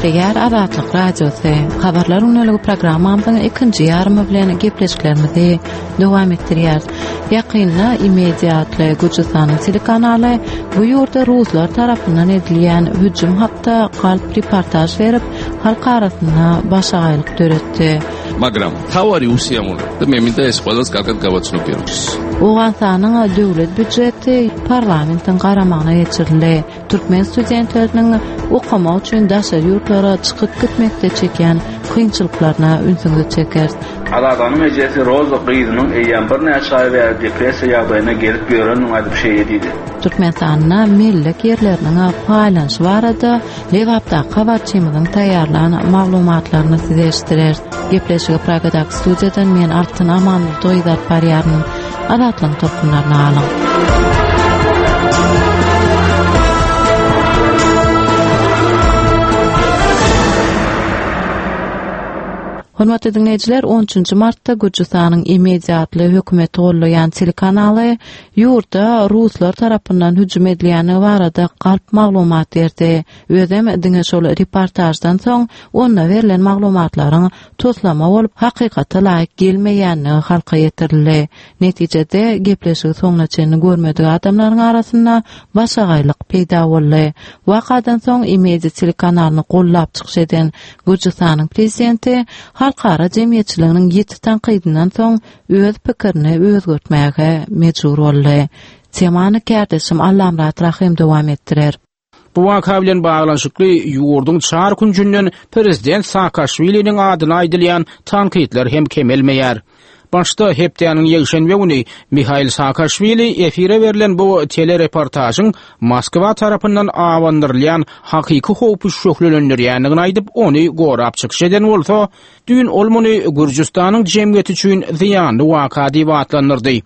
gepleýär Azatlyk Radiosy. Habarlar gündeligi programmamyzyň ikinji ýarymy bilen gepleşiklerimizi dowam etdirýäris. Ýakynda Imedia atly Gürjüstanyň telekanaly bu ýurda ruslar tarapyndan edilýän hüjüm hakda galp reportaž berip, halk arasynda başagaýlyk döretdi. მაგრამ მთავარი უსიამოვნება და მე მინდა ეს ყველას კარგად გავაცნობიერო. Owganystanyň döwlet býujeti parlamentiň garamagyna geçirildi. Türkmen studentleriniň okamak üçin daşary ýurtlara çykyp gitmekde çekýän kynçylyklaryna ünsüňizi çekeris. Azadanyň ejesi Roza gyzynyň eýýäm birnäçe aý bäri depressiýa ýagdaýynda gezip ýörendigini aýdyp şeýle diýdi. Türkmenistanda mellek ýerleriniň paýlanyşy barada Lebapdaky habarçymyzyň taýýarlan maglumatlaryny size eşitdireris. Gepleşigi Pragadaky studiýadan men Altyn Amanmurdy gyzy alyp barýaryn. Azatlygyň tolkunlaryny alyň. Hormatly diňleýjiler, 13-nji martda Gürjüstanyň Imedi atly hökümeti gollaýan telekanaly ýurda ruslar tarapyndan hüjüm edilýändigi barada galp maglumat berdi. Özem diňe şol reportaždan soň onda berlen maglumatlaryň toslama bolup, hakykata laýyk gelmeýändigi halka ýetirildi. Netijede, gepleşigi soňuna çenli görmedik adamlaryň arasynda başagaýlyk peýda boldy. Wakadan soň Imedi telekanalyny gollap çykyş eden Gürjüstanyň prezidenti halkara jemgyýetçiliginiň ýiti tankydyndan soň öz pikirini özgertmäge mejbur boldy. Temany kärdeşim Allamyrat Rahym dowam etdirer. Bu waka bilen baglanyşykly ýurduň çar künjünden prezident Saakaşwiliniň adyna aýdylýan tankytlar hem kemelmeýär. Başda hepdäniň ýekşenbe güni Mihail Saakaşwili efire berlen bu telereportažyň Moskwa tarapyndan abandyrylýan hakyky howpy şöhlelendirýändigini aýdyp, ony gorap çykyş eden bolsa, düýn ol muny Gürjüstanyň jemgyýeti üçin zyýanly waka diýip atlandyrdy.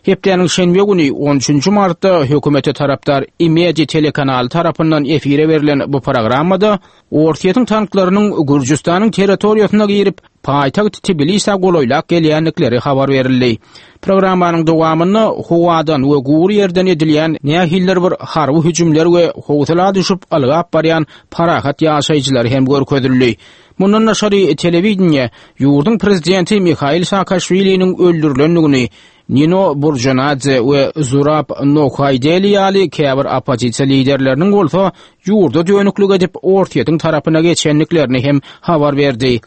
Hepdäniň şenbe güni, on üçünji martda hökümete tarapdar Imedi telekanaly tarapyndan efire berlen bu programmada Orsýetiň tanklarynyň Gürjüstanyň territoriýasyna girip, paýtagt Tbilisä golaýlap gelýändikleri habar berildi. Programmanyň dowamynda howadan we gury ýerden edilýän nähilidir bir harby hüjümler we howsala düşüp ylgap barýan parahat ýaşaýjylar hem görkezildi. Mundan daşary, telewideniýe ýurduň prezidenti Mihail Saakaşwiliniň öldürilendigini, Nino Burjanadze we Zurab Nohaýdeli ýaly käbir oppozisiýa liderleriniň bolsa ýurda dönüklik edip, Orsýetiň tarapyna geçendiklerini hem habar berdi.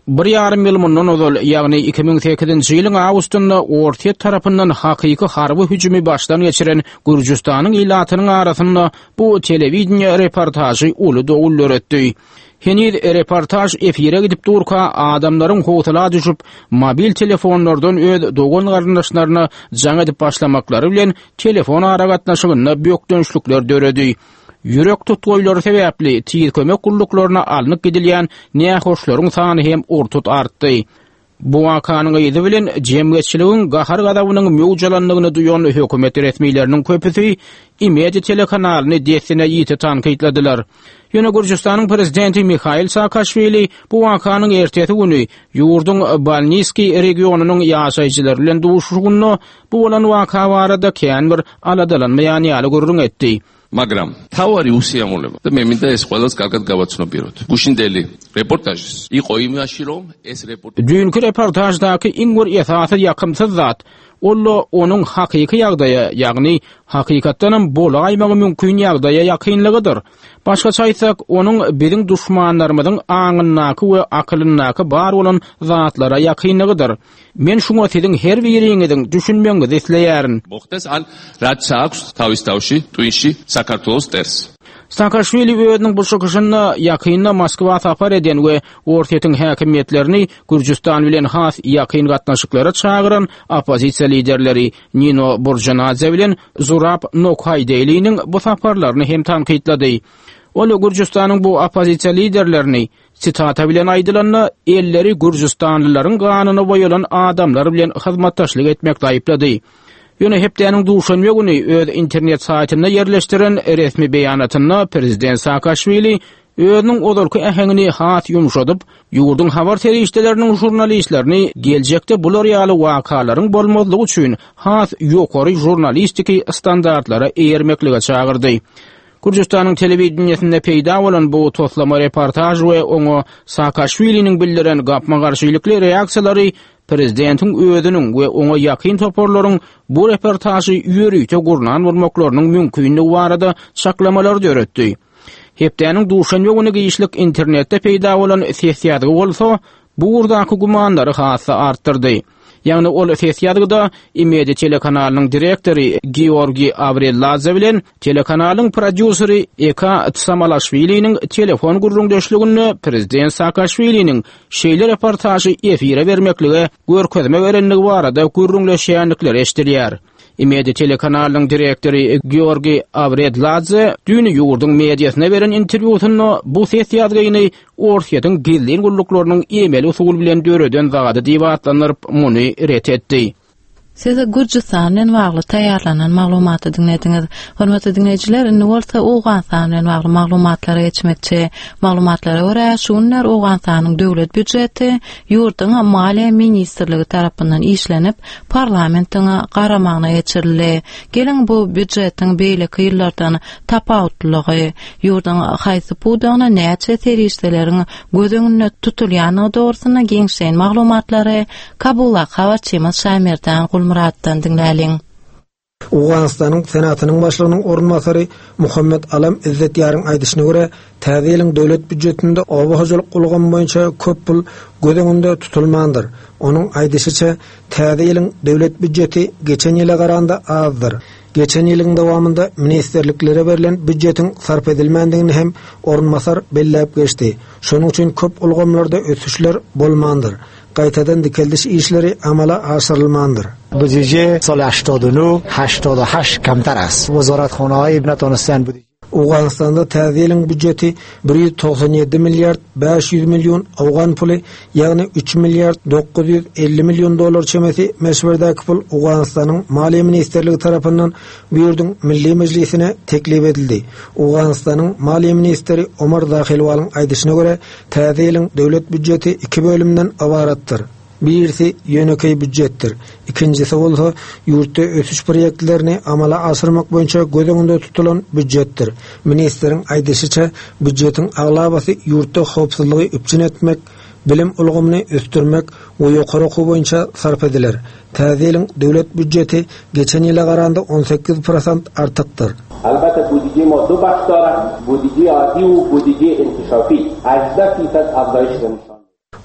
Bir ýarym ýyl mundan ozal, ýagny 2008-nji ýylyň awgustynda Orsýet tarapyndan hakyky harby hüjümi başdan geçiren Gürjüstanyň ilatynyň arasynda bu telewideniýe reportažy uly dowul döretdi. Heniz reportaž efire gidip durka, adamlaryň howsala düşüp, mobil telefonlardan öz dogan-garyndaşlaryna jaň edip başlamaklary bilen telefon aragatnaşygynda bökdençlikler döredi. Ýürek tutgaýlary sebäpli tiz kömek gulluklaryna alnyp gidilýän nähoşlaryň sany hem ur-tut artdy. Bu wakanyň yzy bilen jemgyýetçiligiň gahar-gazabynyň möwç alandygyny duýan hökümet resmileriniň köpüsi Imedi telekanalyny dessine ýiti tankytladylar. Ýöne Gürjüstanyň prezidenti Mihail Saakaşwili bu wakanyň ertesi güni ýurduň Balniskiý regionynyň ýaşaýjylary bilen duşuşygynda bu bolan waka barada kän bir aladalanmaýan ýaly gürrüň etdi. მაგრამ მთავარი უსიამოვნება და მე მინდა ეს ყველას კარგად გავაცნობიეროთ. გუშინდელი რეპორტაჟის იყო იმაში, რომ ეს რეპორტაჟი Düýnki reportaždaky iň bir esasy ýakymsyz zat, ol-da onuň hakyky ýagdaýa, ýagny hakykatdanam bolaýmagy mümkin ýagdaýa ýakynlygydyr. Başgaça aýtsak, onuň biziň duşmanlarymyzyň aňyndaky we akylyndaky bar bolan zatlara ýakynlygydyr. Men şuňa siziň her biriňiziň düşünmegiňizi isleýärin. მოხდეს ან რაც აქვს თავის თავში ტვინში საქართველოს მტერს. Saakaşwili özüniň bu çykyşynda ýakynda Moskwa sapar eden we Orsýetiň häkimiýetlerini Gürjüstan bilen has ýakyn gatnaşyklara çagyran oppozisiýa liderleri Nino Burjanadze bilen Zurab Nokhaýdeliniň bu saparlaryny hem tankytlady. Ol Gürjüstanyň bu oppozisiýa liderlerini Sitata bilen aýdylanda, elleri gürjüstanlylaryň ganyna boýalan adamlar bilen hyzmatdaşlyk etmekde aýyplady. Ýöne hepdäniň duşenbe güni öz internet saýtynda ýerleşdiren resmi beýanatynda prezident Saakaşwili özüniň ozalky äheňini has ýumşadyp, ýurduň habar serişdeleriniň žurnalistlerini geljekde bular ýaly wakalaryň bolmazlygy üçin has ýokary žurnalistiki standartlara eýermeklige çagyrdy. Gürjüstanyň telewideniýesinde peýda bolan bu toslama reportaž we oňa Saakaşwiliniň bildiren gapma-garşylykly reaksiýalary prezidentiň özüniň we oňa ýakyn toparlaryň bu reportažy ýörite gurnan bolmaklarynyň mümkinligi barada çaklamalary döretdi. Hepdäniň duşenbe güni giçlik internetde peýda bolan ses ýazgy bolsa, bu ugurdaky gümanlary has-da artdyrdy. Ýagny ol ses ýazgyda Imedi telekanalynyň direktory Georgiý Awrelladze bilen telekanalyň prodýuseri Eka Tsamalaşwiliniň telefon gürrüňdeşliginde prezident Saakaşwiliniň şeýle reportažy efire bermeklige görkezme berendigi barada gürrüňleşýändikleri eşidilýär. Imedi telekanalynyň direktory Georgiý Awredladze düýn ýurduň mediasyna beren interwýusynda bu ses ýazgyny Orsýetiň gizlin gulluklarynyň emeli usul bilen döreden zady diýip atlandyryp, muny ret etdi. Siz Gürjüstan bilen bagly taýýarlanan maglumaty diňlediňiz. Hormatly diňleýjiler, indi bolsa Owganystan bilen bagly maglumatlara geçmekçi. Maglumatlara görä, şu günler Owganystanyň döwlet býujeti ýurduň Maliýe ministrligi tarapyndan işlenip, parlamentiň garamagyna geçirildi. Geliň, bu býujetiň beýleki ýyllardan tapawutlylygy, ýurduň haýsy pudagyna näçe serişdeleriň göz öňünde tutulýandygy dogrusynda giňişleýin maglumatlary Kabuldaky habarçymyz Şaýmerdan Gulmyratdan diňläliň. Owganystanyň Senatynyň başlygynyň orunbasary Muhammet Alam Izzetýaryň aýdyşyna görä, täze ýylyň döwlet býujetinde oba hojalyk ulgamy boýunça köp pul göz öňünde tutulmandyr. Onuň aýdyşyça, täze ýylyň döwlet býujeti geçen ýyla garanda azdyr. Geçen ýylyň dowamynda ministrliklere berlen býujetiň sarp edilmändigini hem orunbasar belläp geçdi. Şonuň üçin köp ulgamlarda ösüşler bolmandyr. Gaýtadan dikeldiş işleri amala aşyrylmandyr. Budije sal 89 88 kemter است. Wezarethanehay netanisten budije. Owganystanda täze ýylyň býujeti 197 milliard 500 million owgan puly, ýagny 3 milliard 950 million dollar çemesi möçberdäki pul Owganystanyň Maliýe ministrligi tarapyndan bu ýurduň Milli Mejlisine teklip edildi. Owganystanyň maliýe ministri Omar Zahilwalyň aýdyşyna görä, Täze ýylyň döwlet býujeti iki bölümden ybaratdyr. Birisi ýönekeý býujetdir. Ikinjisi bolsa ýurtda ösüş proýektlerini amala aşyrmak boýunça göz öňünde tutulan býujetdir. Ministriň aýdyşyça, býujetiň aglabasy ýurtda howpsuzlygy üpjün etmek, bilim ulgamyny ösdürmek we ýokary okuw boýunça sarp ediler. Täze ýylyň döwlet býujeti geçen ýyla garanda 18 prosent artykdyr. البته بودجه ما دو بخش دارد بودجه عادی و بودجه انکشافی 18 فیصد افزایش نشان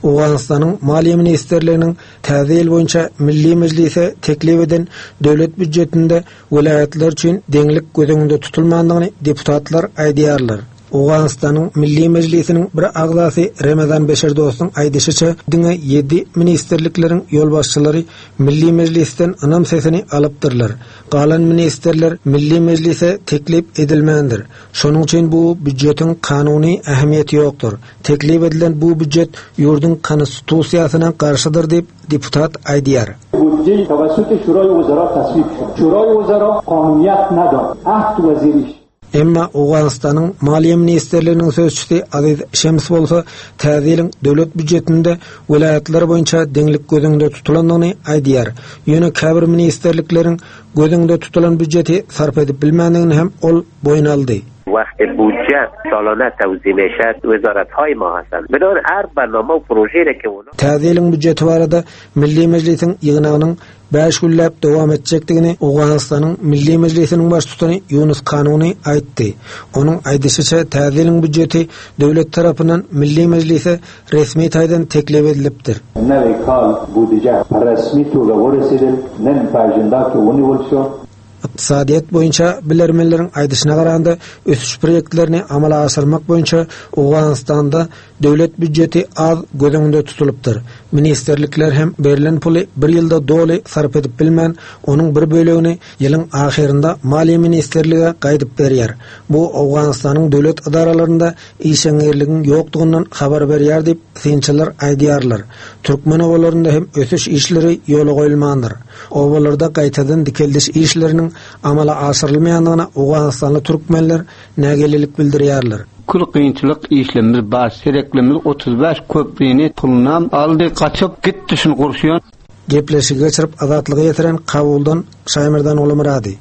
Owganystanyň Maliýe ministrliginiň täze ýyl boýunça Milli Mejlise teklip eden döwlet býujetinde welaýatlar üçin deňlik göz öňünde tutulmandygyny deputatlar aýdýarlar. Owganystanyň Milli Mejlisiniň bir agzasy Remezan Beşerdostyň aýdyşyça, diňe ýedi ministrlikleriň ýolbaşçylary Milli Mejlisden ynam sesini alypdyrlar. Galan ministrler Milli Mejlise teklip edilmändir. Şonuň üçin bu býujetiň kanuny ähmiýeti ýokdur. Teklip edilen bu býujet ýurduň Konstitusiýasyna garşydyr diýip, deputat aýdýar. بودجه توسط شورای وزرا تصویب شد. شورای وزرا قانونیت ندارد. هفت وزیرش Emma Owganystanyň Maliýe ministrliginiň sözçüsi Aziz Şems bolsa täze ýylyň döwlet býujetinde welaýatlar boýunça deňlik göz öňünde tutulandygyny aýdýar. Ýöne käbir ministrlikleriň göz öňünde tutulan býujeti sarp edip bilmändigini hem ol boýun aldy. وقت بودجه سالانه توزیع میشد وزارت های ما هستند بنابراین هر برنامه و پروژه را که اونا Täze ýylyň býujeti barada Milli Mejlisiň ýygnagynyň Bäş günläp dowam etjekdigini Owganystanyň Milli Mejlisiniň Baştutany Ýunus Kanuny aýtdy. Onuň aýdyşyça, täze ýylyň býujeti döwlet tarapyndan Milli Mejlise resmi taýdan teklip edilipdir. نوی کال بودجه رسمی توګه ورسیدل نن په اجندا کې ونیول شو. Ykdysadyýet boýunça bilermenleriň aýdyşyna garanda, ösüş proýektlerini amala aşyrmak boýunça Owganystanda döwlet býujeti az göz öňünde tutulypdyr. Ministrlikler hem berlen puly bir ýylda doly sarp edip bilmän, onuň bir bölegini ýylyň ahyrynda Maliýe ministrlige gaýdyp berýär. Bu Owganystanyň döwlet edaralarynda işeňňirligiň ýokdugyndan habar berýär diýip, synçylar aýdýarlar. Türkmen obalarynda hem ösüş işleri ýola goýulmandyr. Obalarda gaýtadan dikeldiş işleriniň amala aşyrylmaýandygyna owganystanly türkmenler nägilelik bildirýärler. Kül kynçylyk işlemimiz bar sereklimiz 35 köprüni pulunam aldy gaçyp gitdi şuny gurşun. Gepleşigi geçirip Azatlyga ýetiren Kabuldan Şaýmerdan Gulumyrady.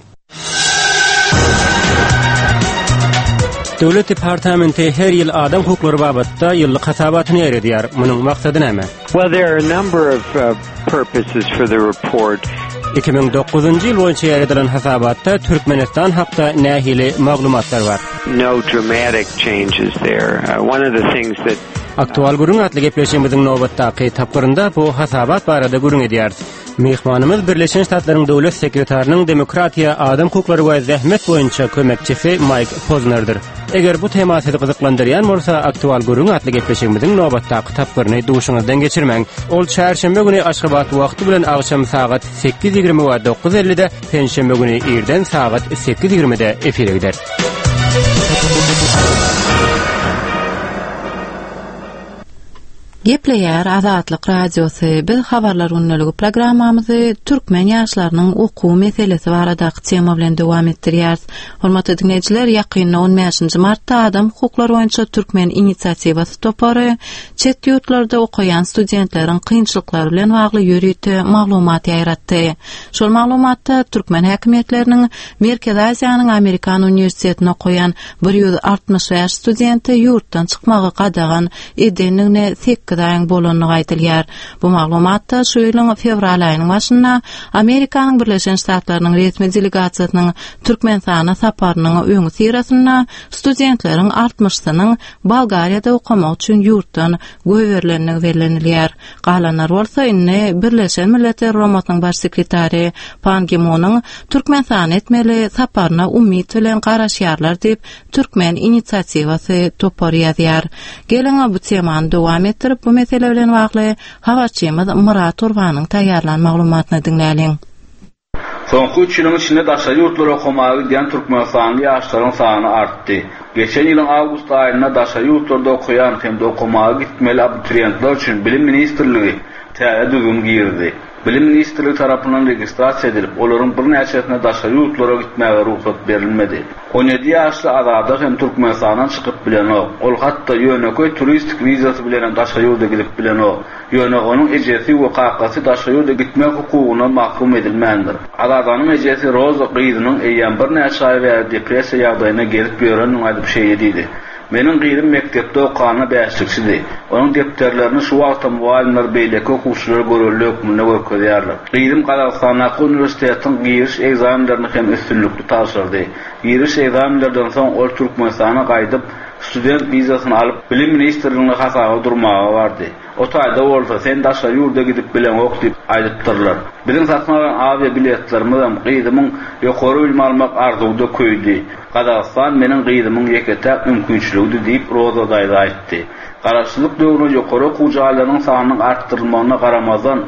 Döwlet departamenti her ýyl adam hukuklary babatda ýyllyk hasabatyny ýaýradýar. Munuň maksady näme? Well, there are a number of uh, purposes for the report. 2009-njy ýyl boýunça ýaýradylan hasabatda Türkmenistan hakda nähili maglumatlar bar? No dramatic changes there. Uh, one of the things that Aktual gürrüň atly gepleşigimiziň nobatdaky tapgyrynda bu hasabat barada gürrüň edýäris. Myhmanymyz Birleşen Ştatlaryň Döwlet sekretarynyň demokratiýa, adam hukuklary we zähmet boýunça kömekçisi Maýk Poznerdir. Eger bu tema sizi gyzyklandyrýan bolsa, Aktual gürrüň atly gepleşigimiziň nobatdaky tapgyryny duşuňyzdan geçirmäň. Ol çarşenbe güni Aşgabat wagty bilen agşam sagat 8:20 we 9:50-de, penşenbe güni irden sagat 8:20-de efire gider. Gepleýär Azatlyk Radiosy, Biz Habarlar gündeligi programmamyzy türkmen ýaşlarynyň okuw meselesi baradaky tema bilen dowam etdirýäris. Hormatly diňleýjiler, ýakynda on bäşinji martda Adam hukuklary boýunça türkmen inisiatiwasy topary çet ýurtlarda okaýan studentleriň kynçylyklary bilen bagly ýörite maglumat ýaýratdy. Şol maglumatda türkmen häkimiýetleriniň Merkezi Aziýanyň Amerikan uniwersitetinde okaýan 165 studente ýurtdan çykmagy gadagan edendigine sekiz aýyň bolandygy aýdylýar. Bu maglumatda şu ýylyň fewral aýynyň başynda Amerikanyň Birleşen Ştatlarynyň resmi delegasiýasynyň Türkmenistana saparynyň öňüsyrasynda studentleriň altmyşsynyň Bolgariýada okamak üçin ýurtdan goýberilendigi bellenilýär. Galanlar bolsa indi Birleşen Milletler Guramasynyň Baş sekretary Pan Gi Munyň Türkmenistana etmeli saparyna umyt bilen garaşýarlar diýip, Türkmen inisiatiwasy topary ýazýar. Geliň, bu temany dowam etdirip, bu mesele bilen bagly habarçymyz Myrat Gurbanyň taýýarlan maglumatyny diňläliň. Soňky üç ýylyň içinde daşary ýurtlara okamaga gidýän türkmenistanly ýaşlaryň sany artdy. Geçen ýylyň awgust aýynda daşary ýurtlarda okaýan hem-de okamaga gitmeli abituriýentler üçin Bilim ministrligi täze düzgün girizdi. Bilim ministrligi tarapyndan registrasiýa edilip, olaryň birnäçesine daşary ýurtlara gitmäge rugsat berilmedi. 17 ýaşly Azada hem Türkmenistandan çykyp bilenok. Ol hatda ýönekeý turistik wizasy bilenem daşary ýurda gidip bilenok. Ýöne onuň ejesi we kakasy daşary ýurda gitmek hukugyndan mahrum edilmändir. Azadanyň ejesi Roza gyzynyň eýýäm birnäçe aý bäri depressiýa ýagdaýynda gezip ýörendigini aýdyp şeýle diýdi, Meniň gyzym mekdepde okanda bäşlikçidi. Onuň depderlerini şu wagtam mugallymlar beýleki okuwçylara görelde hökmünde görkezýärler. Gyzym Gazagystandaky uniwersitetiň giriş ekzamenlerini hem üstünlikli tabşyrdy. Giriş ekzamenlerden soň ol Türkmenistana gaýdyp, Student wizasyny alyp, Bilim ministrligine hasaba durmaga bardy. O taýda bolsa, sen daşary ýurda gidip bileňok diýip aýdypdyrlar. Biziň satyn alan awia biletlerimizem gyzymyň ýokary bilim almak arzuwy-da köýdi. Gazagystan meniň gyzymyň ýeke-täk mümkinçiligidi diýip, Roza daýza aýtdy. Garaşsyzlyk döwründe ýokary okuw jaýlarynyň sanynyň artdyrylmagyna garamazdan,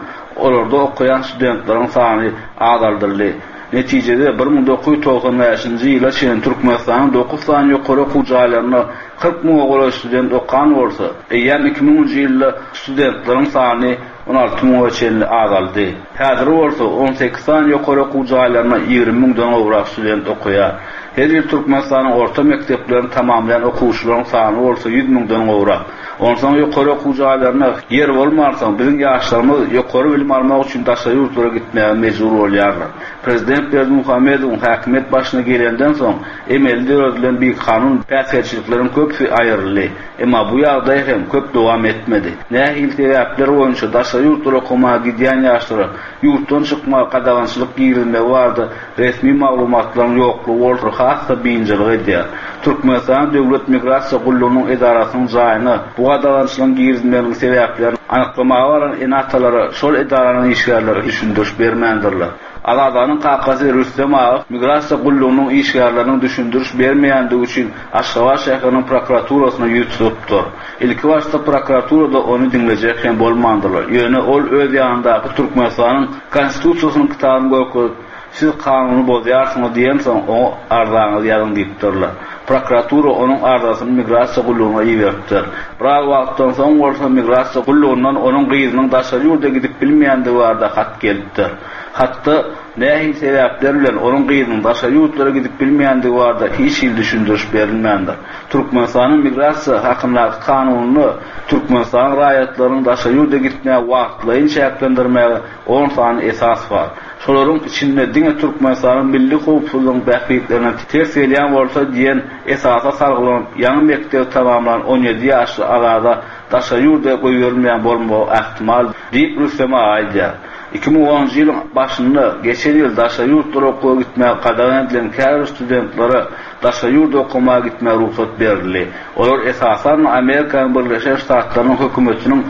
olarda okaýan studentleriň sany azaldyldy. Netijede, 1995-nji ýyla çenli Türkmenistanyň dokuz sany ýokary okuw jaýlarynda 40 müňe golaý student okan bolsa, eýýäm iki müňünji ýylda studentleriň sany 16 müňe çenli azaldy. Häzir bolsa, on sekiz sany ýokary okuw jaýlarynda 20 müňden gowrak student okaýar. Her ýyl Türkmenistanyň orta mekdeplerini tamamlaýan okuwçylaryň sany bolsa ýüz müňden gowrak. Onsoň ýokary okuw jaýlarynda ýer bolmansoň, biziň ýaşlarymyz ýokary bilim almak üçin daşary ýurtlara gitmäge mejbur bolýarlar. Prezident Berdimuhamedowyň häkimiýet başyna gelenden soň, emeli döredilen bikanun päsgelçilikleriň köpüsi aýryldy. Emma bu ýagdaý hem köp dowam etmedi. Nähili sebäpler boýunça daşary ýurtlara okamaga gidýän ýaşlara ýurtdan çykmaga gadagançylyk girizmegi barada resmi maglumatlaryň ýoklugy bolsa has-da biynjalyk edýär. Türkmenistanyň Döwlet migrasiýa gullugynyň edarasynyň jaýyna bu gadagançylygyň girizilmeginiň sebäplerini anyklamaga baran ene-atalara şol edaranyň işgärleri düşündiriş bermändirler. Azadanyň kakasy Rüstem aga migrasiýa gullugynyň işgärleriniň düşündiriş bermeýändigi üçin Aşgabat şäheriniň prokuraturasyna ýüz tutupdyr. Ilkibaşda prokuraturada ony diňlejek hem bolmandyrlar. Ýöne ol öz ýanyndaky Türkmenistanyň Konstitusiýasynyň kitabyny görkezip, Siz kanuny bozýarsyňyz diýensoň, oňa arzaňyzy ýazyň diýipdirler. Prokuratura onuň arzasyny migrasiýa gullugyna iberipdir. Biraz wagtdan soň bolsa migrasiýa gullugyndan onuň gyzynyň daşary ýurda gidip bilmeýändigi barada hat gelipdir. Hatda nähili sebäpler bilen onuň gyzynyň daşary ýurtlara gidip bilmeýändigi barada hiç hili düşündiriş berilmändir. Türkmenistanyň Migrasiýa hakyndaky kanunynda Türkmenistanyň raýatlarynyň daşary ýurda gitmäge wagtlaýyn çäklendirmäge on sany esas bar. Şolaryň içinde diňe Türkmenistanyň milli howpsuzlygyň bähbitlerine ters gelýän bolsa diýen esasa salgylanyp, ýaňy mekdebi tamamlan 17 ýaşly Azada daşary ýurda goýberilmeýän bolmagy ähtimal diýip, Rüstem aga aýdýar. 2010-njy ýylyň başynda geçen ýyl daşary ýurtlara okuwa gitmäge gadagan edilen käbir studentlere daşary ýurda okamaga gitmäge rugsat berildi. Olar esasan Amerikanyň Birleşen Ştatlarynyň hökümetiniň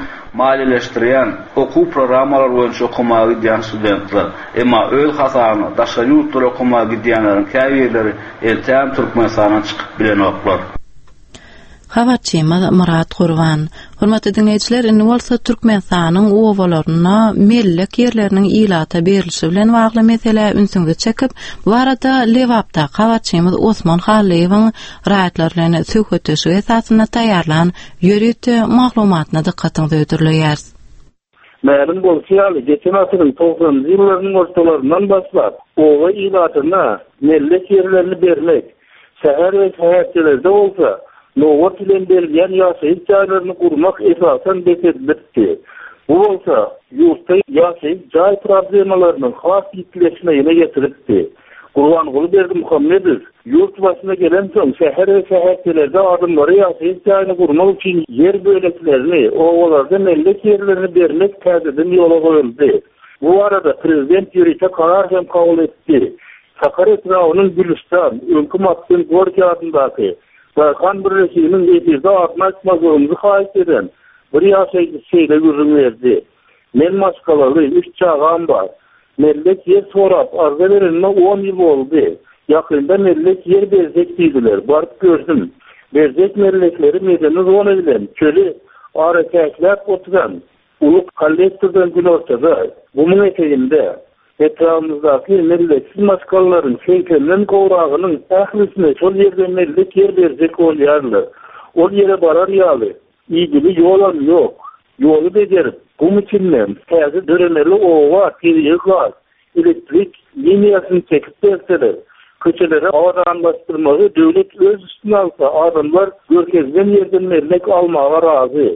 maliýeleşdirýän okuw programmalary boýunça okamaga gidýän studentler. Emma öz hasabyna daşary ýurtlara okamaga gidýänleriň käbirleri entägem Türkmenistandan çykyp bilenoklar. Habarçymyz Myrat Gurban. Hormatly diňleýjiler, indi bolsa Türkmenistanyň obalarynda mellek ýerleriniň ilata berlişi bilen bagly meselä ünsüňizi çekip, bu barada Lebapdaky habarçymyz Osman Hallyýewiň raýatlar bilen söhbetdeşligi esasynda taýýarlan ýörite maglumatyna dykgatyňyzy hödürleýäris. Mälim bolşy ýaly, geçen asyryň togsanynjy ýyllarynyň ortalaryndan başlap, oba ilatyna mellek ýerlerini bermek, şäher we şäherçelerde bolsa nobat bilen berilýän ýaşaýyş jaýlaryny gurmak esasan bes edilipdi. Bu bolsa ýurtda ýaşaýyş jaý problemalarynyň has ýitileşmegine getiripdi. Gurbanguly Berdimuhamedow ýurt başyna gelensoň, şäher we şäherçelerde adamlara ýaşaýyş jaýyny gurmak üçin ýer böleklerini, obalarda mellek ýerlerini bermek täzeden ýola goýuldy. Bu barada prezident ýörite karar hem kabul etdi. Sakar etrabynyň Gülüstan, öňki Maksym Gorkiý adyndaky, daýhan birleşiginiň efirde adyny aýtmazlygymyzy haýyş eden bir ýaşaýjysy şeýle gürrüň berdi, Men maşgalaly, üç çagam bar. Mellek ýer sorap arza berenime on ýyl boldy. Ýakynda mellek ýer berjek diýdiler. Baryp gördüm. Berjek mellekleri medeni zona bilen çöli araçäkläp oturan uly kollektordan günortada, gumuň eteginde. Etrabymyzdaky melleksiz maşgalalaryň segsenden gowragynyň ählisine şol ýerde mellek ýer berjek bolýarlar. Ol ýere barar ýaly Idili ýolam ýok. Ýoly bejerip, gum içinden täze döremeli oba tebigy gaz, elektrik liniýasyny çekip berseler, köçeleri abadanlaşdyrmagy döwlet öz üstüne alsa adamlar görkezilen ýerden mellek almaga razy.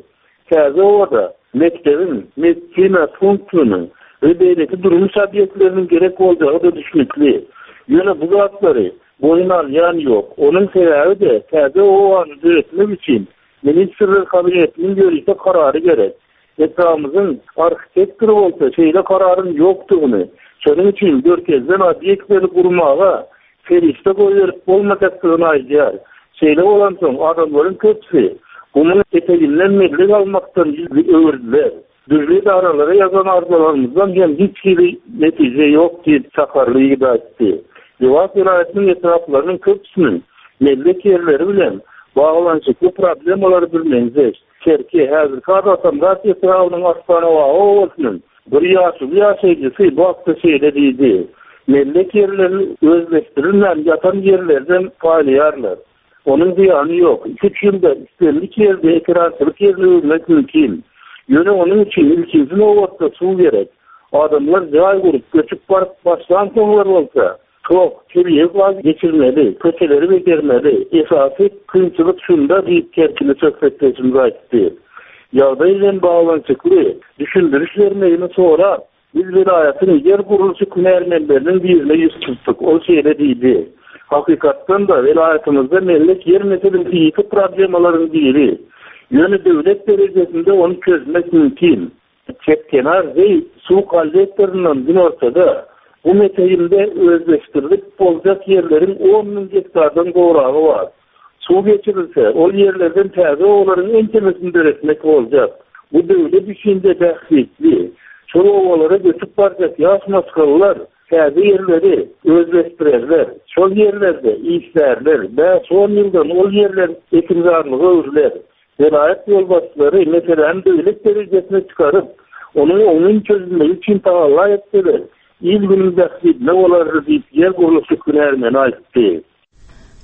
Täze obada mekdebiň, medisina punktynyň we beýleki durmuş obýektleriniň gerek boljagy-da düşnükli. Ýöne bu zatlary boýun alýan ýok. Onuň sebäbi-de täze obany döretmek üçin Ministrler Kabinetiniň ýörite karary gerek. Etrabymyzyň arhitektory bolsa şeýle kararyň ýokdugyny, şonuň üçin görkezilen obýektleri gurmaga serişde goýberip bolmajakdygyny aýdýar. Şeýle bolansoň, adamlaryň köpüsi gumuň eteginden mellek almakdan ýüz öwürdiler. Dürli edaralara ýazan arzalarymyzdan hem hiç hili netije ýok diýip, çakarly ýigit aýtdy. Lebap welaýatynyň etraplarynyň köpüsiniň mellek ýerleri bilen baglanyşykly problemalary birmeňzeş. Kerki, häzirki ady Atamyrat etrabynyň Arslanabaga obasynyň bir ýaşuly ýaşaýjysy bu hakda şeýle diýdi, Mellek ýerlerini özleşdirilmän ýatan ýerlerden paýlaýarlar. Onuň zyýany ýok. Iki-üç ýylda islendik ýerde ekerançylyk ýerine öwürmek mümkin. Ýöne onuň üçin ilkinji nobatda suw gerek. Adamlar jaý gurup, göçüp baryp başlansoňlar bolsa, tok, tebigy gaz geçirmeli, köçeleri bejermeli. Esasy kynçylyk şunda diýip, kerkili söhbetdeşimiz aýtdy. Ýagdaý bilen baglanyşykly düşündiriş bermegini sorap, Biz welaýatyň ýer gurluşyk hünärmenleriniň birine ýüz tutduk. Ol şeýle diýdi, Hakykatdan-da, welaýatymyzda mellek ýer meselesi ýiti problemalaryň biri. Ýöne döwlet derejesinde ony çözmek mümkin. Çep kenar zeý suw kollektoryndan günortada, gum eteginde özleşdirilip boljak ýerleriň on müň gektardan gowragy bar. Suw geçirilse, ol ýerlerden täze obalaryň ençemesini döretmek boljak. Bu döwlet üçin-de bähbitli. Şol obalara göçüp barjak ýaş maşgalalar täze ýerleri özleşdirerler, şol ýerlerde işlärler, bäş-on ýyldan ol ýerler ekinzarlyga öwrüler. Welaýat ýolbaşçylary meseläni döwlet derejesine çykaryp, onuň oňyn çözülmegi üçin tagalla etseler, il-günüň bähbidine bolardy diýip, ýer gurluşyk hünärmeni aýtdy.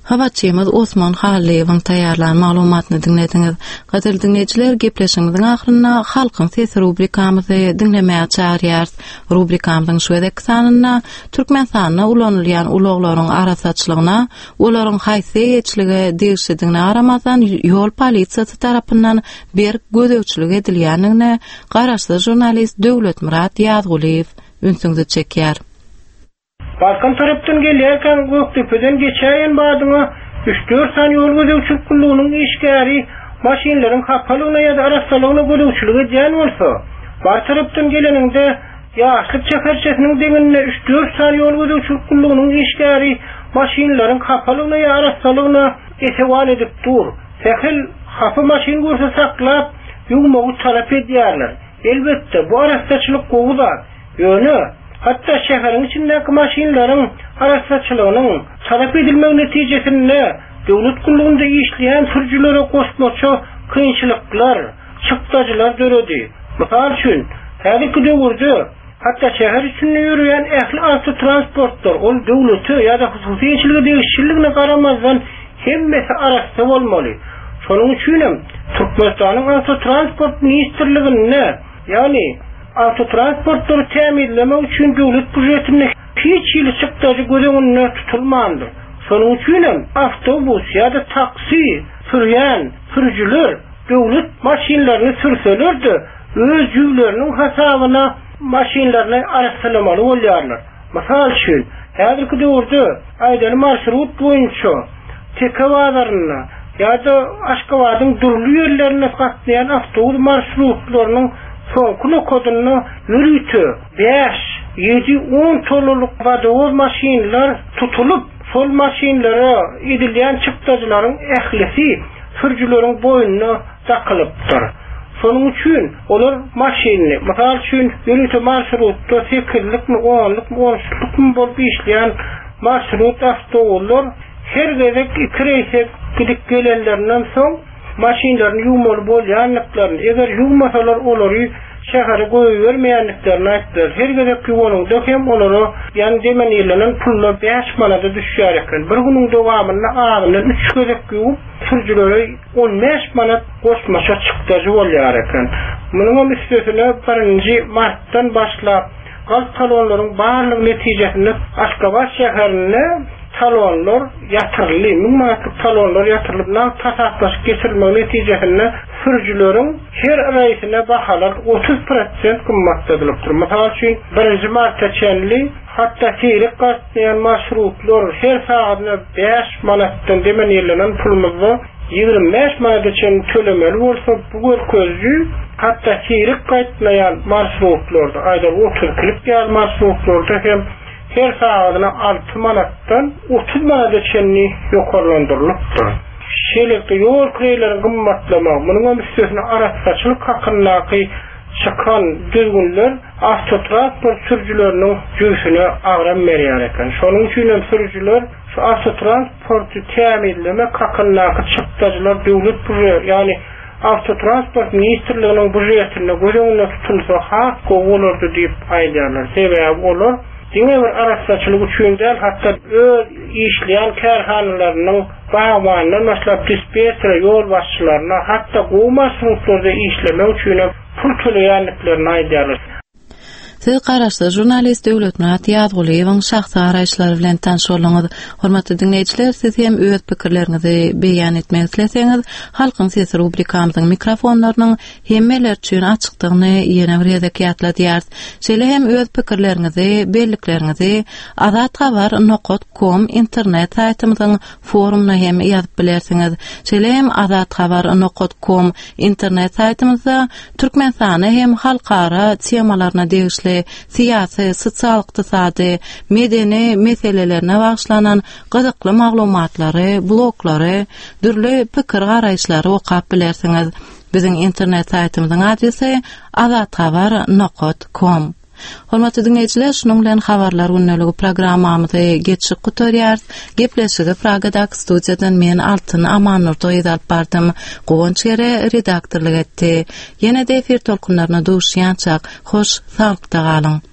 Habarçymyz Osman Hallyýewiň taýýarlan maglumatyny diňlediňiz. Gadyrly diňleýjiler, gepleşigimiziň ahyrynda Halkyň sesi rubrikamyzy diňlemäge çagyrýarys. Rubrikamyzyň şu gezekki sanynda Türkmenistanda ulanylýan ulaglaryň arassaçylygyna, olaryň haýsy eýeçilige degişlidigine garamazdan ýol polisiýasy tarapyndan berk gözegçilik edilýändigine garaşsyz žurnalist Döwletmyrat Ýazgulyýew ünsüňizi çekýär. Balkan tarapdan gelýärkäň Gökdepeden geçäýen badyňa üç-dört sany ýol gözegçilik gullugynyň işgäri maşynlaryň hapalygyna ýa-da arassalygyna gözegçilik edýän bolsa, Bary tarapdan geleniňde Ýaşlyk şäherçesiniň deňinde üç-dört sany ýol gözegçilik gullugynyň işgäri maşynlaryň hapalygyna ýa arassalygyna esewan edip dur. Sähel hapa maşyn görse saklap, ýuwmagy talap edýärler. Elbetde, bu arassaçylyk gowy zat. Ýöne, hatda şäheriň içindäki maşynlaryň arassaçylygynyň talap edilmegi netijesinde döwlet gullugynda işleýän sürüjilere goşmaça kynçylyklar, çykdajylar döredi. Mysal üçin, häzirki döwürde hatda şäher içinde ýöreýän ähli awtotransportlar, ol döwlete ýa-da hususy eýeçilige degişliligine garamazdan hemmesi arassa bolmaly. Şonuň üçinem Türkmenistanyň Awtotransport ministrliginde, ýagny awtotransportlary tämizlemek üçin döwlet býujetinde hiç hili çykdajy göz öňünde tutulmandyr. Şonuň üçinem awtobus ýa-da taksi sürýän sürüjiler döwlet maşynlaryny sürseler-de, öz jübleriniň hasabyna maşynlaryny arassalamaly bolýarlar. Mysal üçin, häzirki döwürde, aýdaly marşrut boýunça Teke bazarynda ýa-da Aşgabadyň dürli ýerlerinde gatnaýan awtobus marşrutlarynyň soňky nokadynda ýörite bäş, ýedi, on tonnalyk wodowoz maşynlar tutulyp, şol maşynlara edilýän çykdajylaryň ählisi sürüjileriň boýnuna dakylypdyr. Şonuň üçin olar maşynyny, mysal üçin, ýörite marşrutda sekizlikmi, onlukmy, on üçlükmi bolup işleýän marşrut awtobuslar her gezek iki reýse gidip gelenlerinden soň maşynlaryny ýuwmaly bolýandyklaryny, eger ýuwmasalar olary şähere goýbermeýändiklerini aýtdylar. Her gezek ýuwanyňda hem olara ýan demenirlenen pullar bäş manada düşýär eken. Bir günüň dowamynda azyndan üç gezek ýuwup, sürüjilere 15 manat goşmaça çykdajy bolýar eken. Munuňam üstesine birinji martdan başlap galp talonlaryň barlygy netijesinde Aşgabat şäherinde talonlar ýatyryldy. Müň manatlyk talonlar ýatyrylyp, nagt hasaplaşyk geçirilmegi netijesinde sürüjileriň her reýsine bahalar 30 prosent gymmatladylypdyr. Mysal üçin, birinji marta çenli hatda seýrek gatnaýan marşrutlar her sagadyna bäş manatdan demenirlenen pulumyzda 25 manada çenli tölemeli bolsa, bu görkeziji hatda seýrek gatnaýan marşrutlarda, aýdaly otuz ikilik ýaly marşrutlarda hem her sagadyna alty manatdan 30 manada çenli ýokarlandyrylypdyr. Şeýlelikde, ýol kireýleriň gymmatlamagy, munuňam üstesine arassaçylyk hakyndaky çykan düzgünler awtotransport sürüjileriniň jübüsine agram berýär eken. Şonuň üçin hem sürüjiler şu awtotransporty tämizlemek hakyndaky çykdajylar döwlet býujet, ýagny Awtotransport ministrliginiň býujetinde göz öňünde tutulsa has gowy bolardy diýip aýdýarlar. Sebäbi olar diňe bir arassaçylyk üçin däl, hatda öz işleýän kärhanalarynyň bagbanyndan başlap dispetçere, ýolbaşçylaryna, hatda gowy marşrutlarda işlemek üçinem pul töleýändiklerini aýdýarlar. Siz garaşsyz žurnalist Döwletmyrat Ýazgulyýewiň şahsy garaýyşlary bilen tanyş bolduňyz. Hormatly diňleýjiler, siz hem öz pikirleriňizi beýan etmek isleseňiz, Halkyň sesi rubrikamyzyň mikrofonlarynyň hemmeler üçin açykdygyny ýene bir gezek ýatladýarys. Şeýle hem öz pikirleriňizi, bellikleriňizi Azathabar nokat kom internet saýtymyzyň forumyna hem ýazyp bilersiňiz. Şeýle hem Azathabar nokat kom internet saýtymyzda Türkmenistana hem halkara temalaryna degişli syýasy, sosial-ykdysady, medeni meselelerine bagyşlanan gyzykly maglumatlary, bloglary, dürli pikir-garaýyşlary okap bilersiňiz. Biziň internet saýtymyzyň adresi azathabar nokat kom. Hormatly diňleýjiler, şunuň bilen Habarlar gündeligi programmamyzy geçip gutarýarys. Gepleşigi Pragadaky studiýadan men Altyn Amannurdy gyzy alyp bardym. Guwanç Gere redaktorlyk etdi. Ýene-de efir tolkunlaryna duşýançak, hoş saglykda galyň!